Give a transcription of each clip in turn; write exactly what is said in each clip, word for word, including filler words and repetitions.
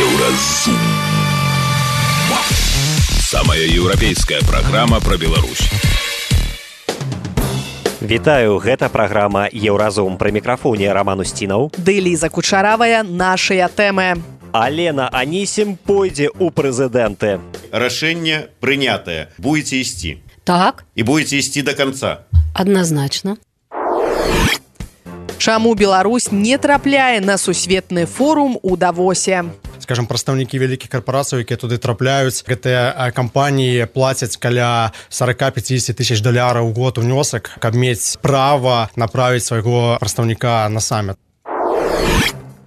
Еўразум. Самая еўрапейская праграма пра Беларусь. Вітаю, гэта праграма «Еўразум». Пры мікрафоне Роман Устінаў. Ды Ліза Кучаравая, нашыя тэмы. Алена Анісім пойдзе ў прэзідэнты. Рашэнне прынятае. Будете ісці. Так. І будете ісці до конца. Адназначна. Чаму Беларусь не трапляе на сусветны форум у Давосе? Скажем, прадстаўнікі вялікіх карпорацый, якія туды трапляюць, гэтыя кампаніі плацяць каля сорок пятьдесят тысяч даляраў у год унёсак, каб мець права направіць свайго прадстаўніка на саммит.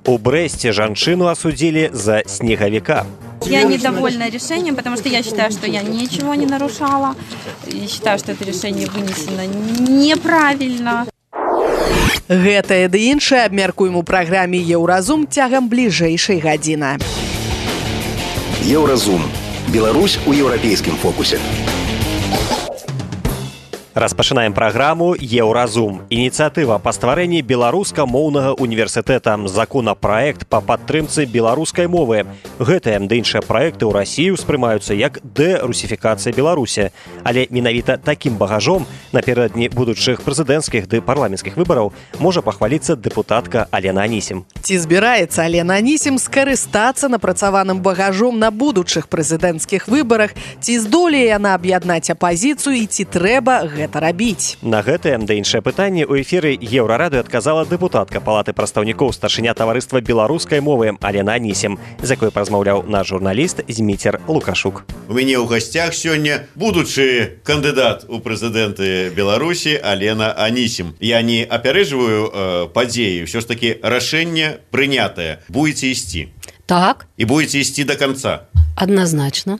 У Брэсце жанчыну осудили за снеговика. Я недовольна решением, потому что я считаю, что я ничего не нарушала. И считаю, что это решение вынесено неправильно. Гэтае ды іншае абмяркуем у праграме «Еўразум» цягам бліжэйшай гадзіны. Еўразум. Беларусь у еўрапейскім фокусе. Распачынаем праграму «Еўразум». Ініцыятыва па стварэнні беларуска-моўнага універсітэта, законапраект па падтрымцы беларускай мовы. Гэтыя ды іншыя праекты ў Расіі ўспрымаюцца як дэрусіфікацыя Беларусі. Але менавіта такім багажом наперададні будучых прэзідэнцкіх ды парламенцкіх выбараў можа пахваліцца дэпутатка Алена Анісім. Ці збіраецца Алена Анісім скарыстацца напрацаваным багажом на будучых прэзідэнцкіх выбарах? Ці здолее яна аб'яднаць апазіцыю і ці трэба гэта гэта рабіць? На гэтае да іншае пытанне ў эфіры Еўрарадыё адказала дэпутатка Палаты прадстаўнікоў, старшыня таварыства беларускай мовы Алена Анісім, з якой размаўляў наш журналіст Зміцер Лукашук. У мяне ў гасцях сёння будучы кандыдат у прэзідэнты Беларусі Алена Анісім. Я не апярэджваю э, падзеі, ўсё ж такі рашэнне прынятае. Будете ісці. Так. І будете ісці до конца. Адназначна.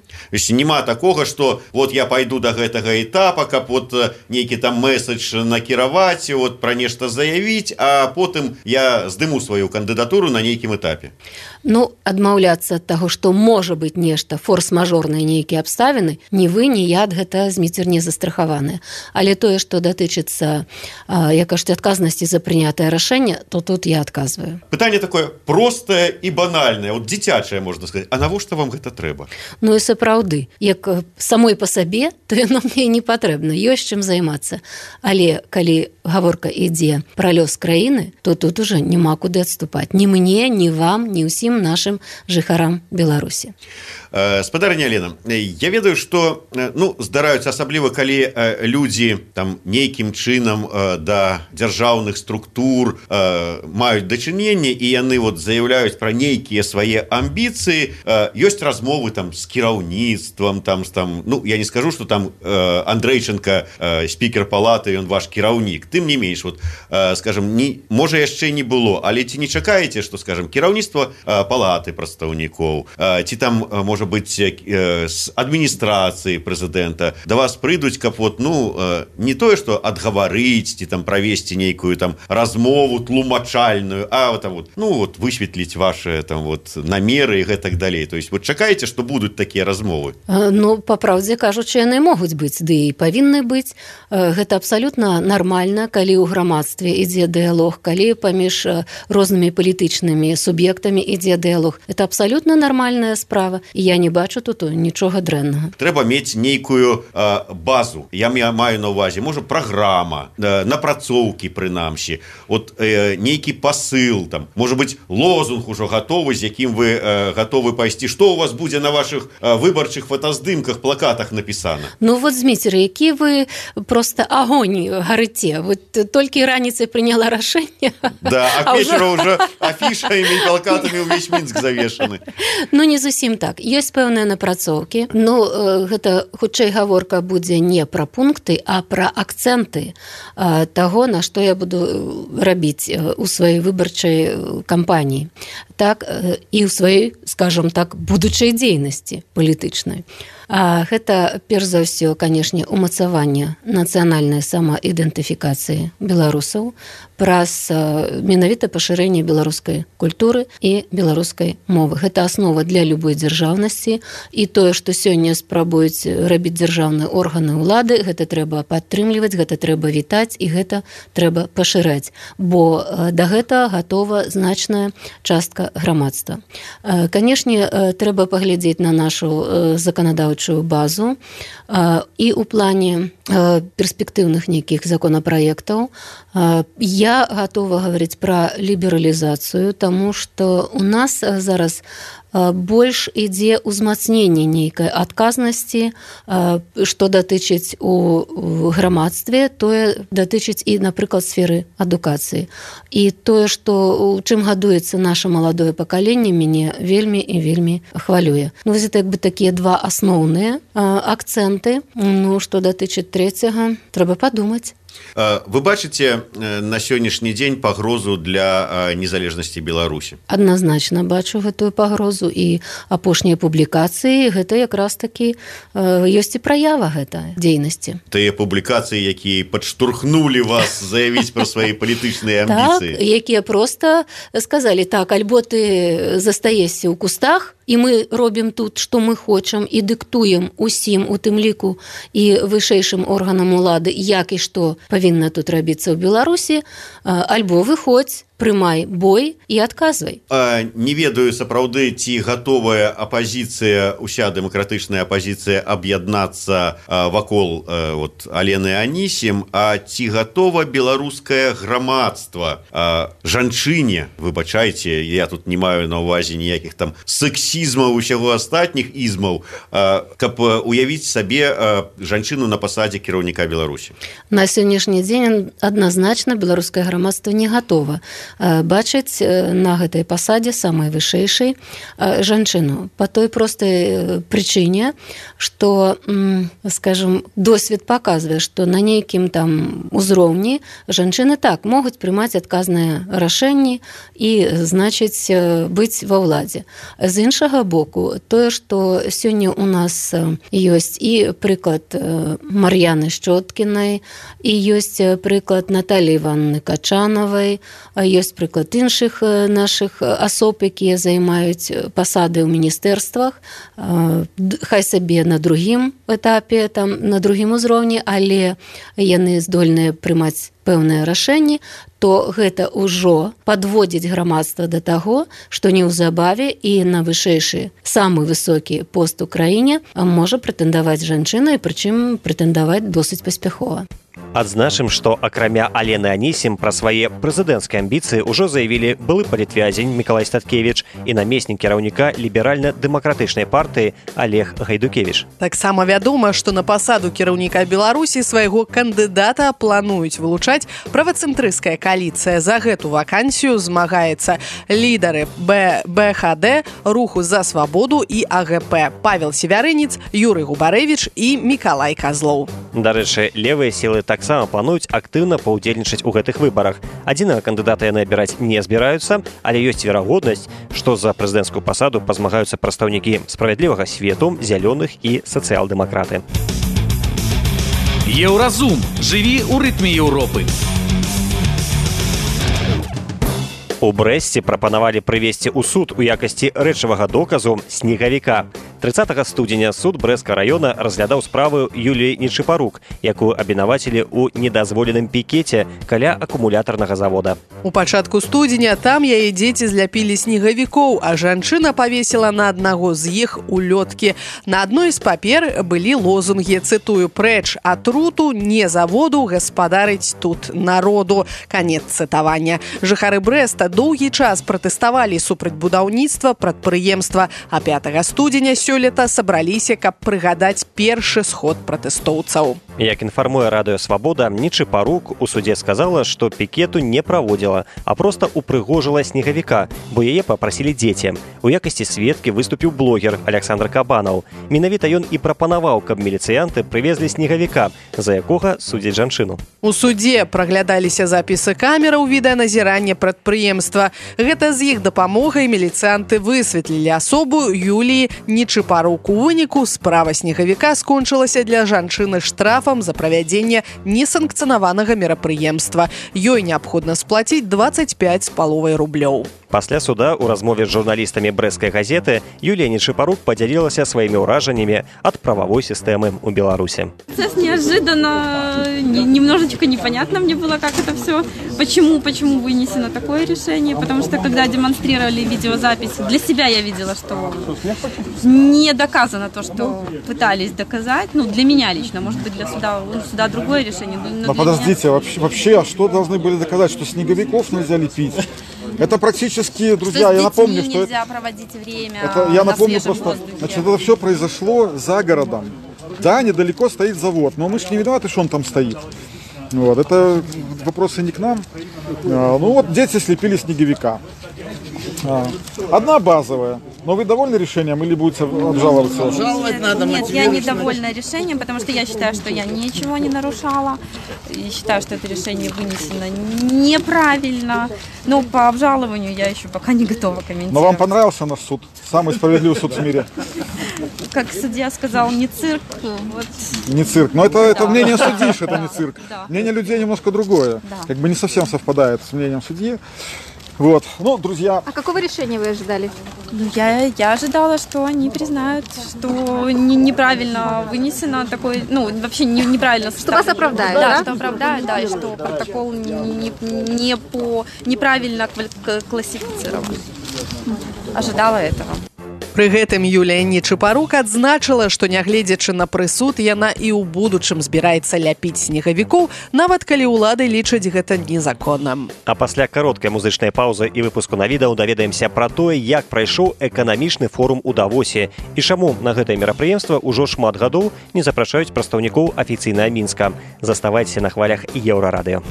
Няма такога, што вот я пайду до гэтага этапа, каб вот нейкі там месседж накіраваць, вот пра нешта заявіць, а потым я здыму сваю кандыдатуру на нейкім этапе. Ну, адмаўляцца ад таго, што можа быць нешта, форс-мажорныя нейкія абставіны, ні вы, ні я ад гэта, Зміцер, не застрахаваныя. Але тое, што датычыцца, як кажуць, адказнасці за прынятае рашэнне, то тут я адказваю. Пытанне такое простае і банальнае, вот дзіцячае, можна сказаць. А навошта вам гэта трэба? Ну і сапраўды, як самой па сабе, то яно мне не патрэбна, ёсць чым займацца. Але калі гаворка ідзе пра лёс краіны, то тут уже няма куды адступаць. Ні мне, ні вам, ні ўсім нашим жыхарам Беларусі. Спадарня Алена, я ведаю, што ну, здараюцца асабліва, калі людзі там нейкім чынам да дзяржаўных структур маюць дачыненне і яны вот заяўляюць пра нейкія свае амбіцыі, ёсць размовы там з кіраўніцтвам, там, там, ну, я не скажу, што там Андрэйченка, спікер палаты, ён ваш кіраўнік. Тым не менш, вот, скажем, не, можа яшчэ не было, але ці не чакаеце, што, скажем, кіраўніцтва палаты прадстаўнікоў, ці там, можа быць, з адміністрацыі прэзідэнта да вас прыйдуць, каб вот, ну, не тое, што адгаварыць, ці там правесці нейкую там размову тлумачальную, а там вот, ну, вот, высветліць ваши там вот намеры і гэтак далей. То есть, вот чакаеце, што будуць такія размовы? Ну, па праўдзе кажучы, яны могуць быць, ды і павінны быць. Гэта абсалютна нармальна, калі ў грамадстве ідзе дыялог, калі паміж рознымі палітычнымі суб'ектамі ідзе дыялог. Это абсалютна нармальная справа. І я не бачу тут нічога дрэннага. Трэба мець нейкую э, базу. Я маю на ўвазе, можа, праграма, э, напрацоўкі прынамсі, от э, нейкі пасыл, там, можа быць, лозунг ужо гатовы, з якім вы э, гатовы пайсці. Што у вас будзе на вашых э, выбарчых фотаздымках, плакатах напісана? Ну вот, Зміцер, які вы просто агонь гарыце. Вот толькі раніцай прыняла рашэнне. Да, а к вечару ўжо афішамі і плакатамі ўвесь Мінск завешаны. Ну, не зусім так. Ёсць пэўныя напрацоўкі. Ну, гэта хутчэй гаворка будзе не пра пункты, а пра акцэнты таго, на што я буду рабіць у сваёй выбарчай кампаніі. Так, і ў сваёй, скажам так, будучай дзейнасці палітычнай. А гэта, перш за ўсё, канешне, умацаванне нацыянальнай самаідэнтыфікацыі беларусаў праз менавіта пашырэнне беларускай культуры і беларускай мовы. Гэта аснова для любой дзяржаўнасці, і тое, што сёння спрабуюць рабіць дзяржаўныя органы ўлады, гэта трэба падтрымліваць, гэта трэба вітаць і гэта трэба пашыраць, бо да гэта гатова значная частка грамадства. Канешне, трэба паглядзець на нашу заканадаўчую базу і ў плане перспектыўных нейкіх законапраектаў. Я гатова гаварыць пра лібералізацыю, таму што у нас зараз больш ідзе ўзмацненне нейкай адказнасці, што датычыць у грамадстве, тое датычыць і, напрыклад, сферы адукацыі. І тое, што чым гадуецца наша маладое пакаленне, мяне вельмі і вельмі хвалюе. Ну, вось это як бы такія два асноўныя акцэнты. Ну, што датычыць трэцяга, трэба падумаць. Вы бачыце на сённяшні дзень пагрозу для незалежнасці Беларусі? Адназначна бачу гэтую пагрозу, і апошнія публікацыі гэта якраз такі ёсць і праява гэта дзейнасці. Тыя публікацыі, якія падштурхнулі вас заявіць пра свае палітычныя амбіцыі. Так, якія проста сказалі, так, альбо ты застаешся ў кустах, і мы робім тут, што мы хочам, і дыктуем усім, у тым ліку і вышэйшым органам улады, як і што павінна тут рабіцца ў Беларусі, альбо выходзь, прымай бой і адказвай. Не ведаю, сапраўды, ці гатовая апазіцыя, уся дэмакратычная апазіцыя аб'яднацца вакол вот, Алены Анісім, а ці гатова беларускае грамадства жанчыне, выбачайце, я тут не маю на ўвазе ніякіх там сексізмаў, усяго астатніх ізмаў, каб уявіць сабе жанчыну на пасадзе кіраўніка Беларусі? На сённяшні дзень адназначна беларускае грамадства не гатова бачыць на гэтай пасадзе самай вышэйшай жанчыну. Па той простай прычыне, што, скажем, досвед паказвае, што на нейкім там узроўні жанчыны так могуць прымаць адказныя рашэнні і, значыць, быць ва ўладзе. З іншага боку, тое, што сёння у нас ёсць і прыклад Мар'яны Шчоткінай, і ёсць прыклад Наталі Івановны Качанавай, ёсць прыклад іншых нашых асоб, якія займаюць пасады ў міністэрствах, хай сабе на другім этапе, там, на другім узроўні, але яны здольныя прымаць пэўныя рашэнні, то гэта ўжо падводзіць грамадства да таго, што неўзабаве і на вышэйшы, самы высокі пост у краіне можа прэтэндаваць жанчына, і прычым прэтэндаваць досыць паспяхова. Адзначым, што акрамя Алены Анісім пра свае прэзідэнцкія амбіцыі ўжо заявілі былы палітвязень Мікалай Статкевіч і намеснік кіраўніка ліберальна-дэмакратычнай партыі Олег Гайдукевіч. Таксама вядома, што на пасаду кіраўніка Беларусі свайго кандыдата плануюць вылучаць правацэнтрысцкая кааліцыя. За гэту вакансію змагаецца лідары бэ ха дэ, Руху за свабоду і а гэ пэ Павел Севярынец, Юрый Губарэвіч і Мікалай Казлоў. Дарэчы, левыя сілы таксама плануюць актыўна паўдзельнічаць у гэтых выбарах. Адзінага кандыдата яны абіраць не збіраюцца, але ёсць верагоднасць, што за прэзідэнцкую пасаду пазмагаюцца прадстаўнікі справядлівага свету, зялёных і сацыял-дэмакраты. Еўразум. Жыві ў рытме Еўропы. У Брэсце прапанавалі прывесці ў суд у якасці рэчавага доказу снегавіка. трыццатага студзеня суд Брэсцкага раёна разглядаў справу Юліі Нечыпарук, якую абвінавацілі ў недазволеным пікеце каля акумулятарнага завода. У пачатку студзеня там яе дзеці зляпілі снегавікоў, а жанчына павесіла на аднаго з іх улёткі. На адной з папер былі лозунгі, цытую, «Прэч атруту, не заводу, гаспадарыць тут народу». Канец цытавання. Жыхары Брэста доўгі час пратэставалі супраць будаўніцтва прадпрыемства, а пятага студзеня сёлета сабраліся, каб прыгадаць першы сход пратэстоўцаў. Як інфармуе радыё «Свабода», Нечыпарук у судзе сказала, што пікету не праводзіла, а проста упрыгожыла снегавіка, бо яе папрасілі дзеці. У якасці сведкі выступіў блогер Александр Кабанаў. Менавіта ён і прапанаваў, каб міліцыянты прывезлі снегавіка, за якога судзяць жанчыну. У судзе праглядаліся запісы камераў відэаназірання прадпрыемства. Гэта з іх дапамогай міліцыянты высветлілі асобу Юліі Нечыпарук. Чапарук. У выніку справа снегавіка скончылася для жанчыны штрафам за правядзенне несанкцыянаванага мерапрыемства. Ёй неабходна сплаціць двадцать пять з паловай рублёў. Пасля суда ў размове з журналістамі брэсцкай газеты Юлія Нечапарук падзялілася сваімі ўражаннямі ад прававой сістэмы ў Беларуси. Процесс неожиданно, немножечко непонятно мне было, как это все, почему, почему вынесено такое решение, потому что когда демонстрировали видеозапись, для себя я видела, что не доказано то, что пытались доказать, ну, для меня лично, может быть, для суда, у суда другое решение. Но, но подождите, меня... вообще, вообще, а что должны были доказать, что снеговиков нельзя лепить? Это практически, друзья, что я напомню, что нельзя это... проводить время. Это, я напомню просто, значит, это все произошло за городом. Да, недалеко стоит завод, но мы же не виноваты, что он там стоит. Вот, это вопросы не к нам. А, ну вот дети слепили снеговика. А, одна базовая. Но вы довольны решением или будете обжаловаться? Обжаловать надо. Нет, я недовольна решением, потому что я считаю, что я ничего не нарушала. И считаю, что это решение вынесено неправильно. Но по обжалованию я еще пока не готова комментировать. Но вам понравился наш суд? Самый справедливый суд в мире? Как судья сказал, не цирк. Вот. Не цирк. Но это, да. это мнение судьи, что это не цирк. Да. Мнение людей немножко другое. Да. Как бы не совсем совпадает с мнением судьи. Вот, ну, друзья. А какого решения вы ожидали? Ну, я, я ожидала, что они признают, что не, неправильно вынесено такое, ну, вообще не, неправильно. Что вас оправдают, да? Да, что оправдают, да, и что протокол не, не, не по, неправильно классифицирован. Ожидала этого. Пры гэтым Юлія Нечапарук адзначыла, што нягледзячы на прысуд, яна і ў будучым збіраецца ляпіць снегавікоў, нават калі ўлады лічаць гэта незаконным. А пасля кароткай музычнай паўзы і выпуску навідаў даведаемся пра тое, як прайшоў эканамічны форум у Давосе і чаму на гэтае мерапрыемства ўжо шмат гадоў не запрашаюць прадстаўнікоў афіцыйнага Мінска. Заставайцеся на хвалях Еўрарадыё.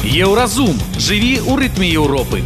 Еўразум. Жыві ў рытме Еўропы.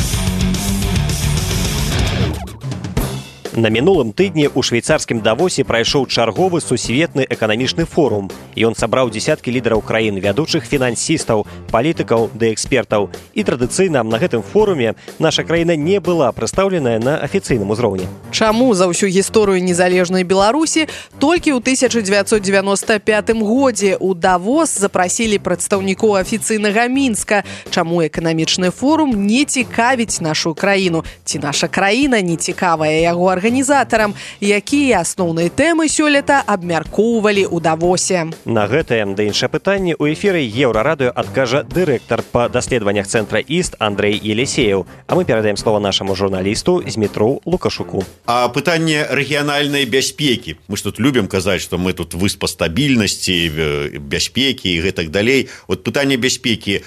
На мінулым тыдні ў швейцарскім Давосе прайшоў чарговы сусветны эканамічны форум. Ён сабраў дзесяткі лідараў краін, вядучых фінансістаў, палітыкаў ды экспертаў. І традыцыйна на гэтым форуме наша краіна не была прадстаўленая на афіцыйным узроўні. Чаму за ўсю гісторыю незалежнай Беларусі толькі ў тысяча дзевяцьсот девяносто пятым годзе ў Давос запрасілі прадстаўнікоў афіцыйнага Мінска? Чаму эканамічны форум не цікавіць нашу краіну? Ці наша краіна не цікавая яго арганізатарам? Якія асноўныя тэмы сёлета абмяркоўвалі ў Давосе? На гэтае да іншае пытанне ў эфіры Еўрарадыё адкажа дырэктар па даследаваннях цэнтра Іст Андрэй Елисеев. А мы перадаем слово нашаму журналісту Змітру Лукашуку. А пытанне рэгіянальнай бяспекі. Мы ж тут любім казаць, што мы тут выспа стабільнасці, бяспекі і гэтак далей. Вот пытанне бяспекі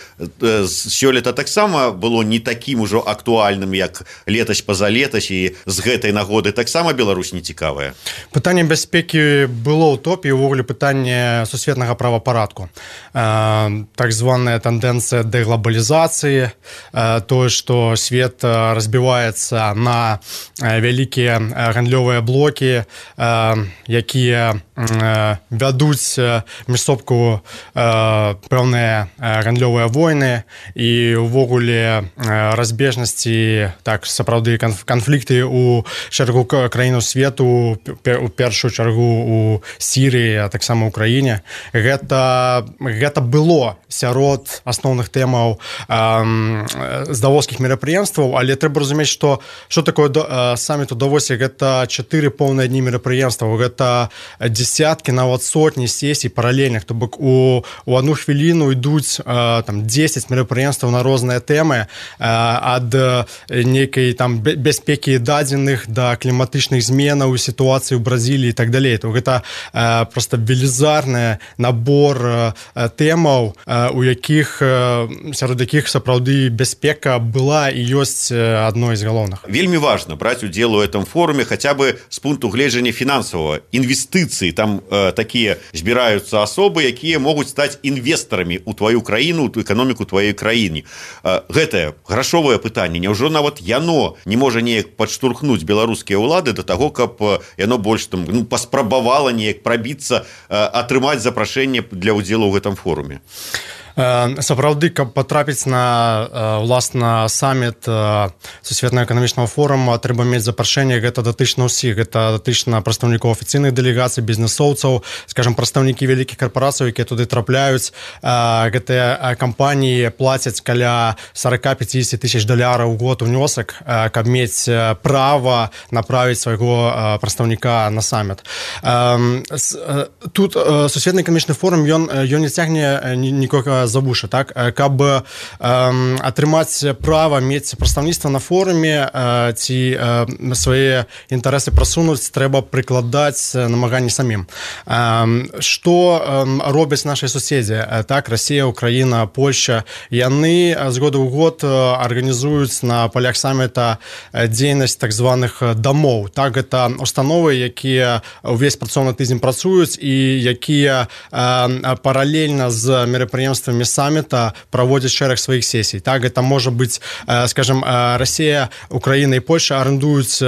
сёлета таксама было не такім ужо актуальным, як летась пазалетась, і з гэтай нагоды таксама Беларусь не цікавая. Пытанне бяспекі было ў топе, увогуле пытанне сусветнага правапарадку. Э, так званая тэндэнцыя дэглабалізацыі, э, тое, што свет разбіваецца на вялікія гандлёвыя блокі, э, якія э, вядуць між собку э, пэўныя гандлёвыя войны і увогуле э, разбежнасці, так, сапраўды канфлікты у шэрагу краінаў свету, у першую чаргу у Сірыі, а таксама ў Украіне. Гэта, гэта было сярод асноўных тэмаў э, з давоскіх мерапрыемстваў, але трэба разумець, што што такое э, саміт у Давосе? Гэта чатыры поўныя дні мерапрыемстваў, гэта дзесяткі, нават сотні сесій паралельных, то бок у, у одну хвіліну ідуць э, там дзесяць мерапрыемстваў на розныя тэмы, э, ад нейкай там бяспекі дадзеных да кліматычных зменаў, сітуацыі ў Бразіліі і так далей. То гэта э, просто велізарны набор э, тэмаў, э, у якіх э, сярод якіх сапраўды бяспека была і ёсць адной з галоўных. Вельмі важна браць удзел у этом форуме хотя бы з пункту гледжання фінансавага. Інвестыцыі, там э, такія збіраюцца асобы, якія могуць стаць інвестарамі ў тваю краіну, у эканоміку тваёй краіны. Э, гэтае грашовае пытанне, няўжо нават яно не можа неяк падштурхнуць беларускія ўлады да таго, каб яно больш там, ну, паспрабавала неяк прабіцца, э, атрымаць запрашэнне для ўдзелу ў гэтым форуме? Сапраўды, каб потрапіць на уласна саміт сусветнага эканамічнага форума, трэба мець запрашэнне, гэта датычна ўсіх, гэта датычна прадстаўнікоў афіцыйных дэлегацый, бізнесоўцаў, скажем, прадстаўнікі вялікіх карпорацый, якія туды трапляюць. Гэтыя кампаніі плацяць каля сорок-пятьдесят тысяч даляраў у год унёсак, каб мець права направіць свайго прадстаўніка на саміт. Тут сусветны эканамічны форум, ён, ён не цягне нікога за вушы, так? Каб атрымаць права мець прадстаўніцтва на форуме ці свае інтарэсы прасунуць, трэба прыкладаць намаганні самім. Што робяць нашыя суседзі? Так, Расія, Украіна, Польшча. Яны з года ў год арганізуюць на палях саміта дзейнасць так званых дамоў. Так, гэта установы, якія ўвесь працоўны тыдзень працуюць і якія паралельна з мерапрыемствамі саміта праводзяць шэраг сваіх сесій. Так, гэта можа быць, скажем, Расія, Украіна і Польша арендуюць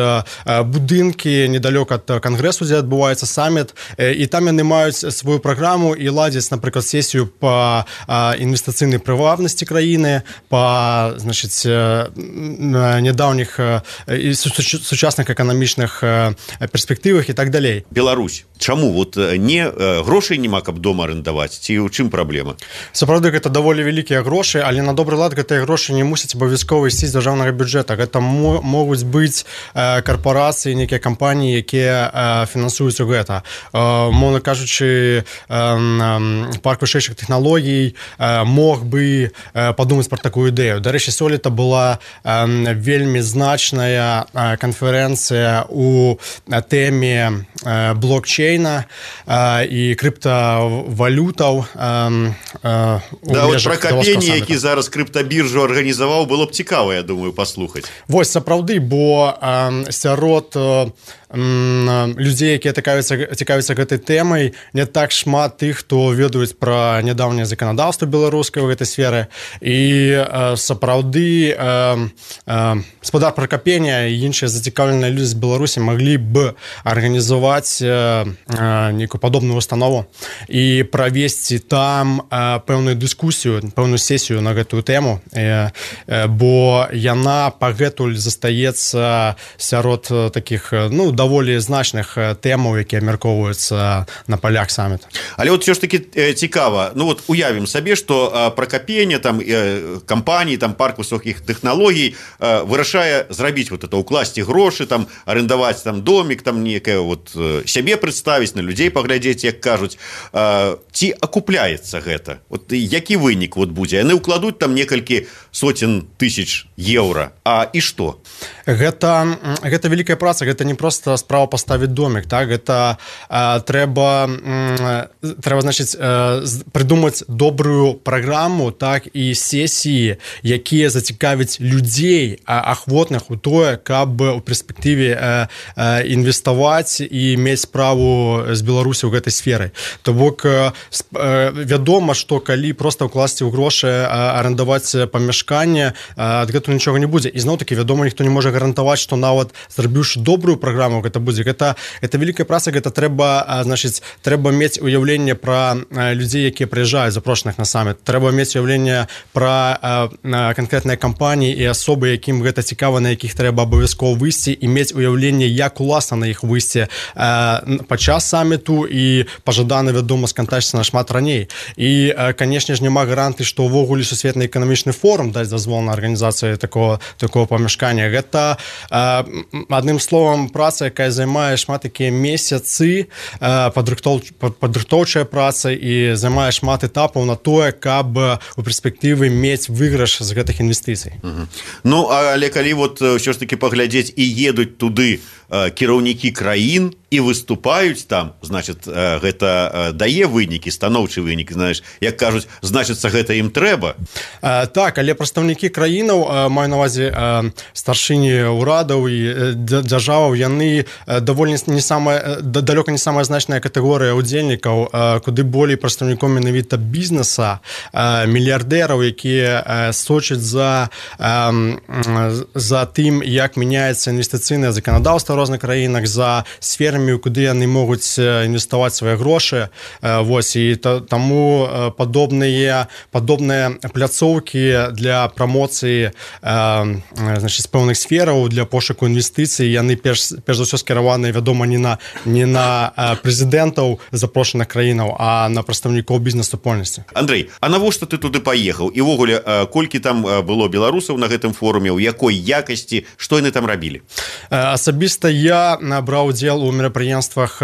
будынкі недалёка ад кангрэсу, дзе адбываецца саміт, і там яны маюць сваю праграму і ладзяць, напрыклад, сесію па інвестыцыйнай прывабнасці краіны, па, значыць, нядаўніх і сучасных эканамічных перспектывах і так далей. Беларусь. Чаму? Вот не грошай няма, каб дома арендаваць? Ці ў чым праблема? Сапраўды, гэта даволі вялікія грошы, але на добры лад гэтыя грошы не мусяць абавязкова ісці з дзяржаўнага бюджэта. Гэта могуць быць карпорацыі, некія кампаніі, якія фінансуюць гэта. Мовна кажучы, парк вышэйшых тэхналогій мог бы падумаць пра такую ідэю. Дарэчы, сёлета была вельмі значная канферэнцыя у тэме блокчейна і крыптавалютаў. Да, вот пра Капені, які зараз крыптабіржу арганізаваў, было б цікава, я думаю, паслухаць. Вось, сапраўды, бо сярод людзей, якія цікавяцца гэтай тэмай, не так шмат тых, хто ведаюць пра нядаўняе заканадаўства беларускае ў гэтай сферы. І сапраўды гаспадар Пракапеня і іншыя зацікаўленыя людзі з Беларусі маглі б арганізаваць нейкую падобную установу і правесці там пэўную дыскусію, пэўную сесію на гэтую тэму, бо яна пагэтуль застаецца сярод такіх, ну, даволі значных тэмаў, якія абмяркоўваюцца на палях саміта. Але вот все ж таки цікава, ну вот уявім сабе, што Пракапеня, там кампаніі, там парк высокіх тэхналогій вырашае зрабіць вот это, укласці грошы, там арендаваць там домик, там некае вот сябе прадставіць, на людзей паглядзець, як кажуць. Ці акупляецца гэта? Вот які вынік вот будзе? Яны ўкладуць там некалькі соцень тысяч еўра. А і што? Гэта, гэта вялікая праца, гэта не проста справа паставіць домик, так? Гэта а, трэба, м, трэба, значыць, а, прыдумаць добрую праграму, так, і сесіі, якія зацікавяць людзей, а, ахвотных у тое, каб у перспектыве а, а, інвеставаць і мець справу з Беларусі ў гэтай сферы. То бок, а, вядома, што калі проста ўкласці ў грошы, а, арендаваць памяшканне, а, ад гэтага нічога не будзе. І зноў-такі, вядома, ніхто не можа гарантаваць, што нават зрабіўшы добрую праграму, гэта будзе. Гэта, гэта вялікая праца, гэта трэба, значыць, трэба мець уяўленне пра людзей, якія прыязджаюць, запрошаных на саміт. Трэба мець уяўленне пра канкрэтныя кампаніі і асобы, якім гэта цікава, на якіх трэба абавязкова выйсці, і мець уяўленне, як уласна на іх выйсці падчас саміту і пажадана, вядома, скантачыцца нашмат раней. І, канешне ж, няма гарантыі, што ўвогуле сусветны эканамічны форум дасць дазвол на арганізацыю такого, такого памяшкання. Гэта, адным словам, праца, якая займае шмат такія месяцы, падрыхтоўчая праца і займае шмат этапаў на тое, каб у перспектывы мець выйгрыш з гэтых інвестыцый. Угу. Ну, але калі вот ўсё ж таки паглядзець і едуць туды кіраўнікі краін і выступаюць там, значит, гэта дае вынікі, станоўчы вынік, знаеш, як кажуць, значыцца, гэта ім трэба. Так, але прадстаўнікі краінаў, маю на ўвазе старшыні ўрадаў і дзяржаваў, яны даволі не самая, далёка не самая значная катэгорыя удзельнікаў, куды болей прадстаўніком менавіта бізнеса, мільярдэраў, якія сочаць за, за тым, як мяняецца інвестыцыйнае заканадаўства ў розных краінах, за сферамі, эканомію, куды яны могуць інвеставаць свае грошы. Вось, і таму падобныя падобныя пляцоўкі для прамоцыі значыць, з пэўных сфераў, для пошуку інвестыцый, яны перш, перш за ўсё скіраваныя, вядома, не на, не на прэзідэнтаў запрошаных краінаў, а на прадстаўнікоў бізнес-супольнасці. Андрэй, а навошта ты туды паехаў? І ўвогуле, колькі там было беларусаў на гэтым форуме, у якой якасці, што яны там рабілі? Асабіста я браў удзел у мерапрыемствах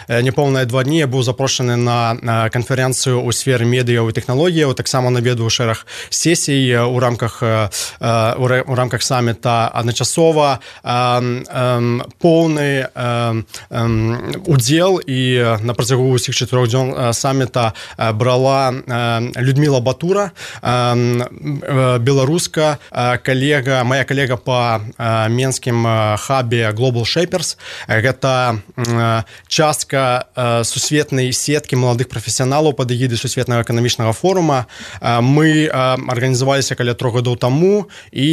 няпоўныя два дні. Я быў запрошаны на канферэнцыю ў сферы медыяў і тэхналогіяў, таксама наведваў шэраг сесій у рамках у рамках саміта. Адначасова поўны удзел і на працягу ўсіх чатырох дзён саміта брала Людмила Батура, беларуска, калега, моя калега по менскім хабе Global Shapers. Гэта частка сусветнай сеткі маладых прафесіяналаў пад эгідай сусветнага эканамічнага форума. Мы арганізаваліся каля трох гадоў таму і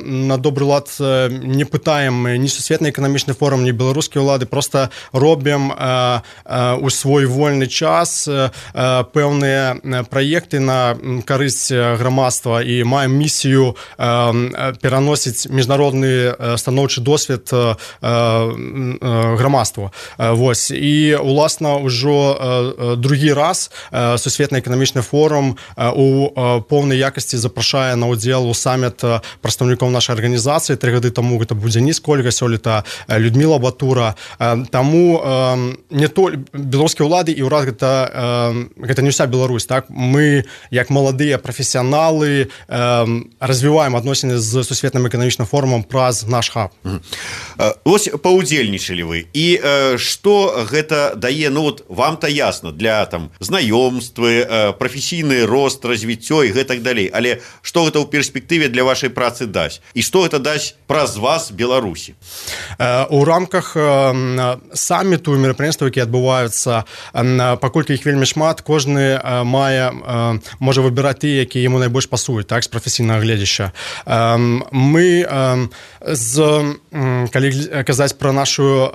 на добры лад не пытаем ні сусветны эканамічны форум, ні беларускія ўлады, просто робім у свой вольны час пэўныя праекты на карысць грамадства і маем місію пераносіць міжнародны станоўчы досвед грамадству. Вось. І, уласна, ўжо другі раз сусветны эканамічны форум у поўнай якасці запрашае на ўдзел у саміт прадстаўнікоў нашай арганізацыі. Тры гады таму гэта будзе Дзеніс Кольга, сёлета Людмила Батура. Таму не толькі беларускія ўлады і ўрад гэта, гэта не ўся Беларусь. Так? Мы, як маладыя прафесіяналы, развіваем адносіны з сусветным эканамічным форумам праз наш хаб. Вось паўдзельнічалі вы. І што гэта дае? Ну вот вам-то ясно, для там знаёмствы, прафесійны рост, развіццё і гэтак далей. Але што гэта ў перспектыве для вашай працы дасць? І што гэта дасць праз вас Беларусі? У рамках саміту і мерапрыемстваў, якія адбываюцца, паколькі іх вельмі шмат, кожны мае, можа выбіраць тыя, якія яму найбольш пасуюць, так, з прафесійнага гледзяща. Мы, з, калі казаць пра нашу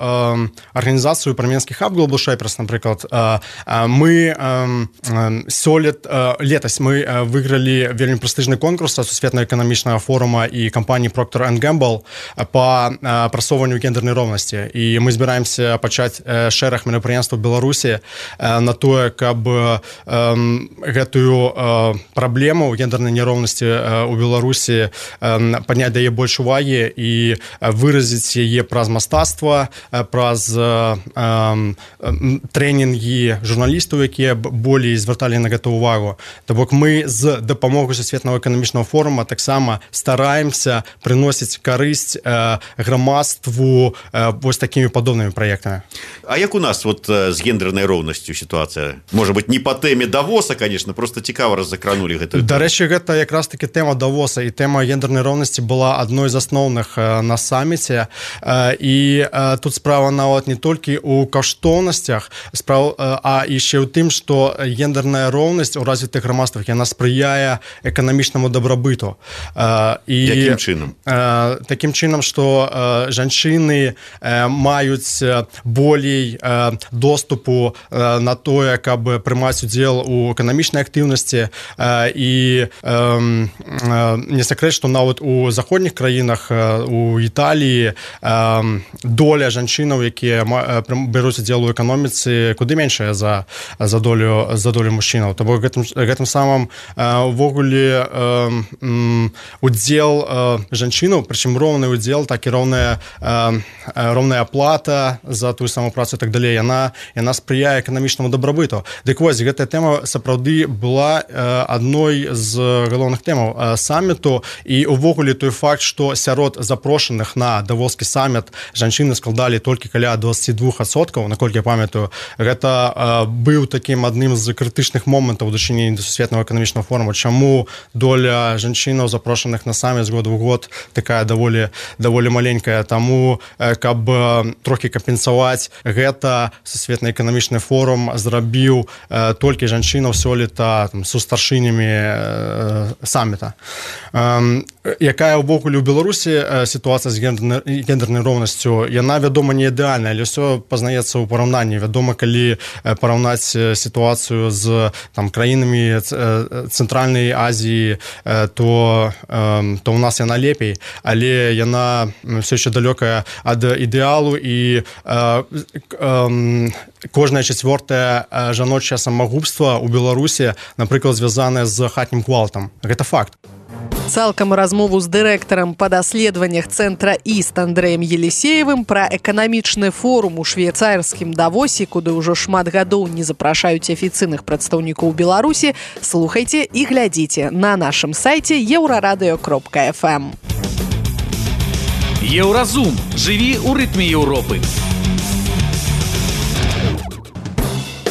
арганізацыю, пра менскі хаб Global Shapers, напрыклад, мы сёлет, летась мы выйгралі вельмі прэстыжны конкурс сусветнага эканамічнага форума і кампаніі Procter энд Gamble па прасоўванню гендернай роўнасці. І мы збіраемся пачаць шэраг мерапрыемстваў Беларусі на тое, каб гэтую праблему гендернай няроўнасці ў Беларусі падняць да яе больш увагі і выразіць яе праз мастацтва, праз трэнінгі журналістаў, якія болей звярталі на гэту увагу. То бок мы з дапамогай сусветнага эканамічнага форума таксама стараемся прыносіць карысць грамадству вось такімі падобнымі праектамі. А як у нас вот з гендернай роўнасцю сітуацыя? Можа быць, не па тэме Давоса, конечно, просто цікава раззакранулі гэтую. Дарэчы, гэта якраз таки тэма Давоса, і тэма гендернай роўнасці была адной з асноўных на саміце. І тут справа нават не толькі ў каштоўнасцях, а яшчэ ў тым, што гендерная роўнасць у развітых грамадствах, яна спрыяе эканамічнаму дабрабыту. І якім чынам? Такім чынам, што жанчыны маюць болей доступу на тое, каб прымаць удзел у эканамічнай актыўнасці. І не сакрэт, што нават у заходніх краінах, у Італіі, доля жанчынаў, якія бяруць удзел у эканоміцы, куды меншая за, за, долю, за долю мужчынаў. То бок гэтым, гэтым самым увогуле удзел жанчынаў, прычым роўны удзел, так і роўная, роўная аплата за тую самую працу і так далей, яна, яна спрыяе эканамічнаму дабрабыту. Дык вось, гэтая тэма сапраўды была адной з галоўных тэмаў саміту, і увогуле той факт, што сярод запрошаных на давоскі саміт жанчыны складалі толькі каля дваццаць два адсоткі, наколькі я памятаю, гэта быў такім адным з крытычных момантаў у дачыненні да сусветнага эканамічнага форума, чаму доля жанчынаў, запрошаных на саміт з года ў год, такая даволі, даволі маленькая. Таму, каб трохі кампенсаваць гэта, сусветны эканамічны форум зрабіў толькі жанчынаў сёлета са старшынямі саміта. Якая ўвогуле ў Беларусі сітуацыя з гендернай гендернай роўнасцю, яна, вядома, не ідэальная, але ўсё пазнаецца ў параўнанні. Вядома, калі параўнаць сітуацыю з там, краінамі Цэнтральнай Азіі, то, то ў нас яна лепей, але яна все еще далёкая ад ідэалу, і кожнае чацвёртае жаночае самагубства ў Беларусі, напрыклад, звязанае з хатнім гвалтам. Гэта факт. Цалкам размову з дырэктарам па даследаваннях цэнтра Іст Андрэем Елісеевым пра эканамічны форум у швейцарскім Давосе, куды ўжо шмат гадоў не запрашаюць афіцыйных прадстаўнікоў Беларусі, слухайце і глядзіце на нашым сайце еўрарадыё кропка эф эм. Еўразум. Жыві ў рытме Еўропы.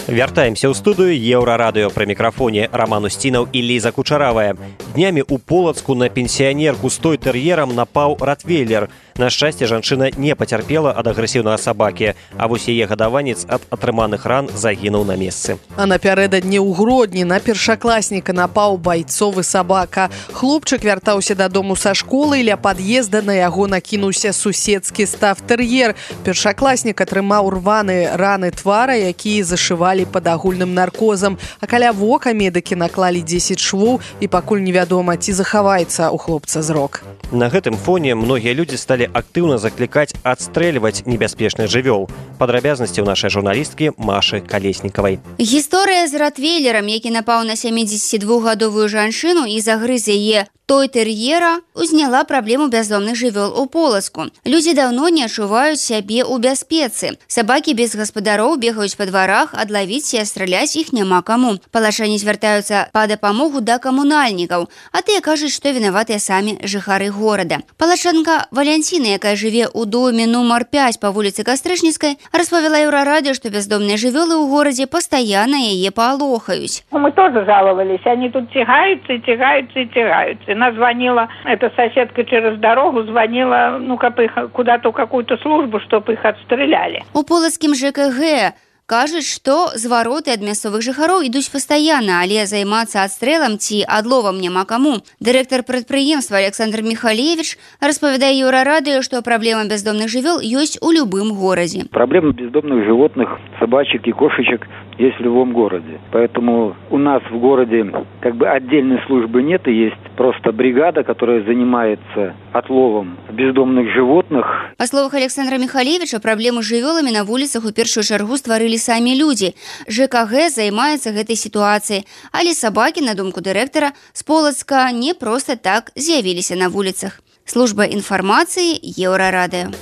Вяртаемся ў студыю Еўрарадыё, пры мікрафоне Раман Усцінаў і Ліза Кучаравая. Днямі ў Полацку на пенсіянерку з той-тэр'ерам напаў ротвейлер. На шчасце, жанчына не пацярпела ад агрэсіўнага сабакі, а вось яе гадаванец ад атрыманых ран загінуў на месцы. А напярэдадні ў Гродні на першакласніка напаў байцовы сабака. Хлопчык вяртаўся дадому са школы, і ля пад'езда на яго накінуўся суседскі стафтэр'ер. Першакласнік атрымаў рваныя раны твара, якія зашывалі пад агульным наркозам. А каля вока медыкі наклалі дзесяць швоў, і пакуль невядома, ці захаваецца ў хлопца зрок. На гэтым фоне многія людзі сталі актыўна заклікаць адстрэльваць небяспечных жывёл. Падрабязнасці ў нашай журналісткі Машы Калеснікавай. Гісторыя з ротвейлерам, які напаў на сямідзесяцідвухгадовую жанчыну і загрыз яе той-тэр'ера, узняла праблему бяздомных жывёл у Полацку. Людзі даўно не адчуваюць сябе ў бяспецы. Сабакі без гаспадароў бегаюць па дварах, адлавіць і страляць іх няма каму. Палачане звяртаюцца па дапамогу да камунальнікаў, а тыя кажуць, што вінаватыя самі жыхары горада. Палачанка Валянціна, якая жыве ў доме нумар пяць па вуліцы Кастрычніцкай, распавяла Еўрарадыё, што бяздомныя жывёлы ў горадзе пастаянна яе палохаюць. Мы тоже жаловались, они тут тягаются и тягаются и тягаются. Она звонила, эта соседка через дорогу звонила, ну, как их куда-то в какую-то службу, чтобы их отстреляли. У полацкім ЖКГ кажуць, што звароты ад мясцовых жыхароў ідуць пастаянна, але займацца адстрэлам ці адловам няма каму. Дырэктар прадпрыемства Александр Михалевич распавядае Еўрарадыё, што праблема бяздомных жывёл ёсць у любым горадзе. Проблема бездомных животных, собачек и кошечек есть в любом городе. Поэтому у нас в городе как бы отдельной службы нет, и есть просто бригада, которая занимается отловом бездомных животных. Па словах Александра Михалевича, праблему з жывёламі на вуліцах у першую чаргу стварылі самі людзі. ЖКГ займаецца гэтай сітуацыяй, але сабакі, на думку дырэктара, з Полацка не проста так з'явіліся на вуліцах. Служба інфармацыі Еўрарадыё.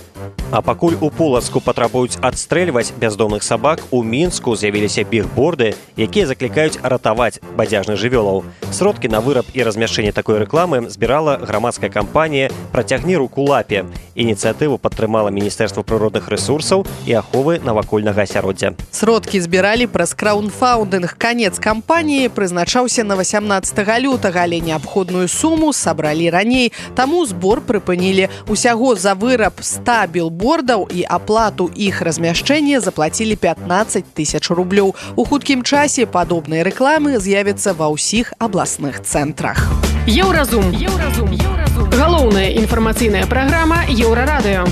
А пакуль у Полацку патрабуюць адстрэльваць бяздомных сабак, у Мінску з'явіліся бігборды, якія заклікаюць ратаваць бадзяжных жывёлаў. Сродкі на выраб і размяшчэнне такой рэкламы збірала грамадская кампанія «Працягні руку лапе». Ініцыятыву падтрымала Міністэрства прыродных рэсурсаў і аховы навакольнага асяроддзя. Сродкі збіралі праз краўдфандынг. Канец кампаніі прызначаўся на васямнаццатага лютага, але неабходную суму сабралі раней. Таму збор прыпынілі. Усяго за выраб ста билбордаў і аплату іх размяшчэння заплацілі пятнаццаць тысяч рублёў. У хуткім часе падобныя рэкламы з'явяцца ва ўсіх абласных цэнтрах. Еўразум. Еўразум. Еўразум. Галоўная інфармацыйная праграма Еўрарадыё.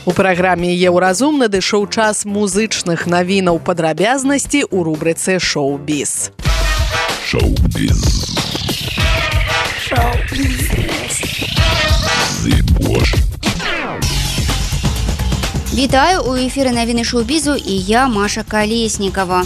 У праграме «Еўразум» надышоў час музычных навінаў, падрабязнасці ў рубрыцы «Шоу-біз». Шоу-біз. Шоу-біз. Вітаю, у эфіры навіны шоу-бізу і я, Маша Калеснікава.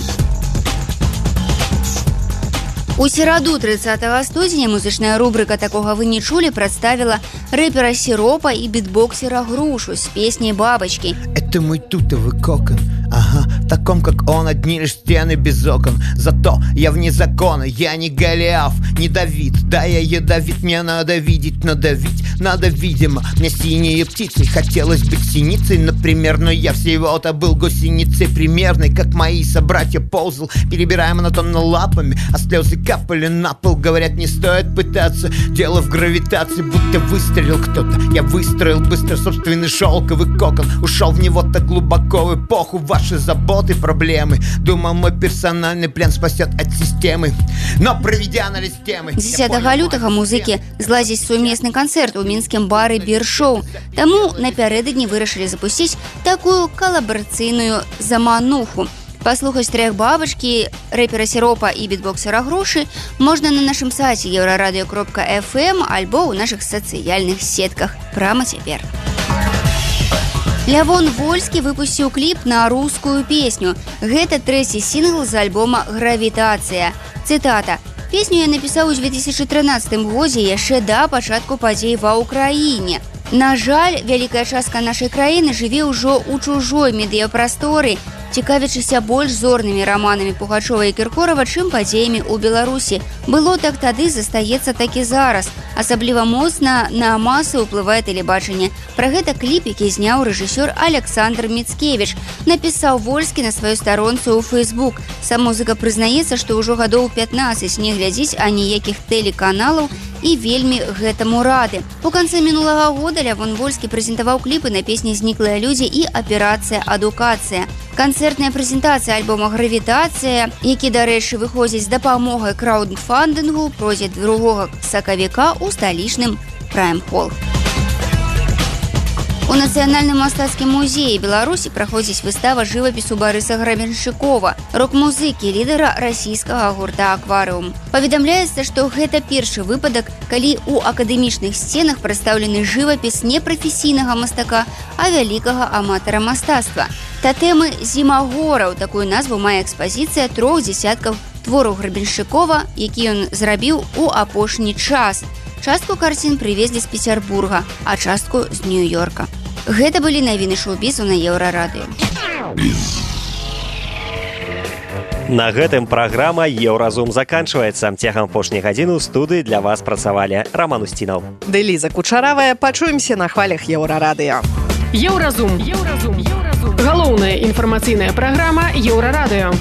У сераду трыццатага студзеня музычная рубрика «Такога вы не чулі» прадставіла рэпера Сиропа и битбоксера Грушу с песней «Бабочки». Это мой тутовый кокон, ага, таком, как он, одни лишь стены без окон. Зато я вне закона, я не Голиаф, не Давид. Да, я ядовит, мне надо видеть, надавить надо, видимо. Мне синие птицы, хотелось быть синицей, например. Но я всего-то был гусеницей примерной, как мои собратья ползал, перебирая монотонно лапами, а слезы капали на пол. Говорят, не стоит пытаться, дело в гравитации. Будто выстрелил кто-то, я выстроил быстро собственный шелковый кокон. Ушел в него так глубоко в эпоху вашей заботы. соты, проблемы. Думал, мой персональный план спасет от системы. Но проведя анализ темы... дзесятага лютага музыкі зладзяць сумесны канцэрт у мінскім бары «Бир-шоу». Таму напярэдадні вырашылі запусціць такую калабарацыйную замануху. Паслухаць трэх бабачкі, рэпера Сіропа і бітбоксера Грушы можна на нашым сайце еўрарадыё кропка эф эм альбо ў нашых сацыяльных сетках прама цяпер. Лявон Вольскі выпусціў кліп на рускую песню. Гэта трэці сінгл з альбома «Гравітацыя». Цытата. «Песню я напісаў у две тысячи трынаццатым годзе яшчэ да пачатку падзей ва ўкраіне. На жаль, вялікая частка нашай краіны жыве ўжо ў чужой медыяпрасторы, цікавячыся больш зорнымі раманамі Пугачова і Кіркорава, чым падзеямі ў Беларусі. Было так тады, застаецца так і зараз. Асабліва моцна на масы ўплывае тэлебачанне. Пра гэта кліп, які зняў рэжысёр Александр Міцкевіч, напісаў Вольскі на сваёй старонцы ў Фейсбук. Сам музыка прызнаецца, што ўжо гадоў пятнаццаць не глядзіць аніякіх тэлеканалаў і вельмі гэтаму рады. У канцы мінулага года Лявон Вольскі прэзентаваў кліпы на песні «Зніклыя людзі» і «Аперацыя адукацыя». Канцэртная прэзентацыя альбома «Гравітацыя», які, дарэчы, выходзіць з дапамогай краўдфандынгу, пройдзе другога сакавіка ў сталічным Прайм-холл. У Нацыянальным мастацкім музеі Беларусі праходзіць выстава жывапісу Барыса Грабеншчыкова, рок-музыкі, лідара расійскага гурта «Акварыум». Паведамляецца, што гэта першы выпадак, калі ў акадэмічных сценах прадстаўлены жывапіс не прафесійнага мастака, а вялікага аматара мастацтва. Татэмы «Зімагораў» — такую назву мае экспазіцыя трох дзесяткаў твораў Грабеншчыкова, які ён зрабіў у апошні час. Частку карцін прывезлі з Пецярбурга, а частку з Нью-Йорка. Гэта былі навіны шоу-бізу на Еўрарадыё. На гэтым праграма «Еўразум» заканчваецца. Цягам апошняй гадзіны ў студыі для вас працавалі Роман Устінаў. Ды Ліза Кучаравая. Пачуемся на хвалях Еўрарадыё. Еўразум. Еўразум. Галоўная інфармацыйная праграма Еўрарадыё.